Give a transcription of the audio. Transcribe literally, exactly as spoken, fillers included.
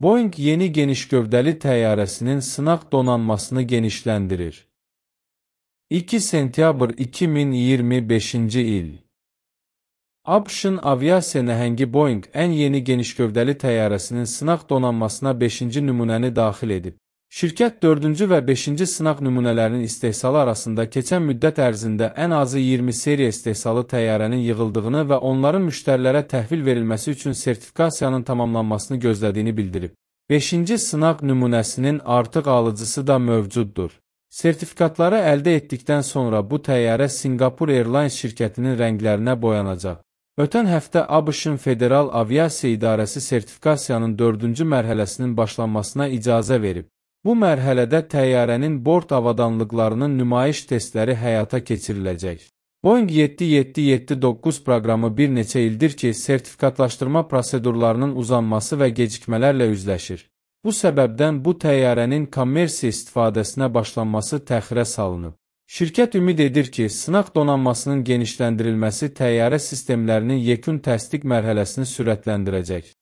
Boeing yeni genişgövdəli təyyarəsinin sınaq donanmasını genişləndirir. iki sentyabr iki min iyirmi beşinci il. ABŞ-ın aviasiya nəhəngi Boeing ən yeni genişgövdəli təyyarəsinin sınaq donanmasına beşinci nümunəni daxil edib. Şirkət dördüncü və beşinci sınaq nümunələrinin istehsalı arasında keçən müddət ərzində ən azı iyirmi seriya istehsalı təyyarənin yığıldığını və onların müştərilərə təhvil verilməsi üçün sertifikasiyanın tamamlanmasını gözlədiyini bildirib. beşinci sınaq nümunəsinin artıq alıcısı da mövcuddur. Sertifikatları əldə etdikdən sonra bu təyyarə Singapore Airlines şirkətinin rənglərinə boyanacaq. Ötən həftə ABŞ-ın Federal Aviasiya İdarəsi sertifikasiyanın dördüncü mərhələsinin başlanmasına icazə verib. Bu mərhələdə təyyarənin bort avadanlıqlarının nümayiş testləri həyata keçiriləcək. Boeing yeddi yeddi yeddi doqquz proqramı bir neçə ildir ki, sertifikatlaşdırma prosedurlarının uzanması və gecikmələrlə üzləşir. Bu səbəbdən bu təyyarənin kommersiya istifadəsinə başlanması təxirə salınıb. Şirkət ümid edir ki, sınaq donanmasının genişləndirilməsi təyyarə sistemlərinin yekun təsdiq mərhələsini sürətləndirəcək.